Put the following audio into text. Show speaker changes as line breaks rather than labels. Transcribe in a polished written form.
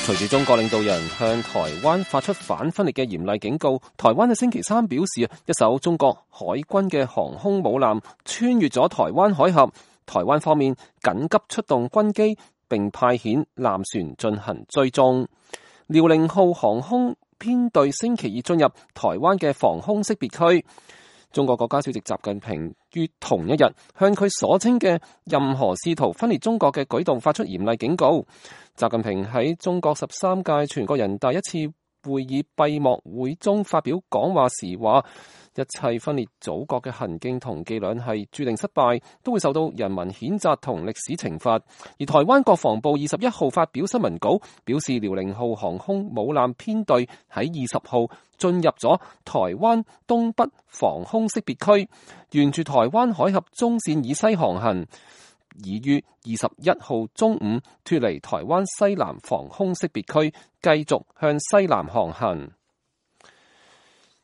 隨住中國領導人向台灣發出反分裂嘅嚴厲警告，台灣喺星期三表示，一艘中國海軍嘅航空母艦穿越咗台灣海峽，台灣方面緊急出動軍機，並派遣艦船進行追蹤。遼寧號航空編隊星期二進入台灣嘅防空識別區。中國國家主席習近平於同一日向佢所稱嘅任何試圖分裂中國嘅舉動發出嚴厲警告。習近平喺中國13屆全國人大一次會議閉幕會中發表講話時話，一切分裂祖國嘅行徑同伎倆係注定失敗，都會受到人民譴責同歷史懲罰。而台灣國防部21號發表新聞稿，表示遼寧號航空母艦編隊喺20號進入咗台灣東北防空識別區，沿住台灣海峽中線以西航行，已於21號中午脫離台灣西南防空識別區，繼續向西南航行。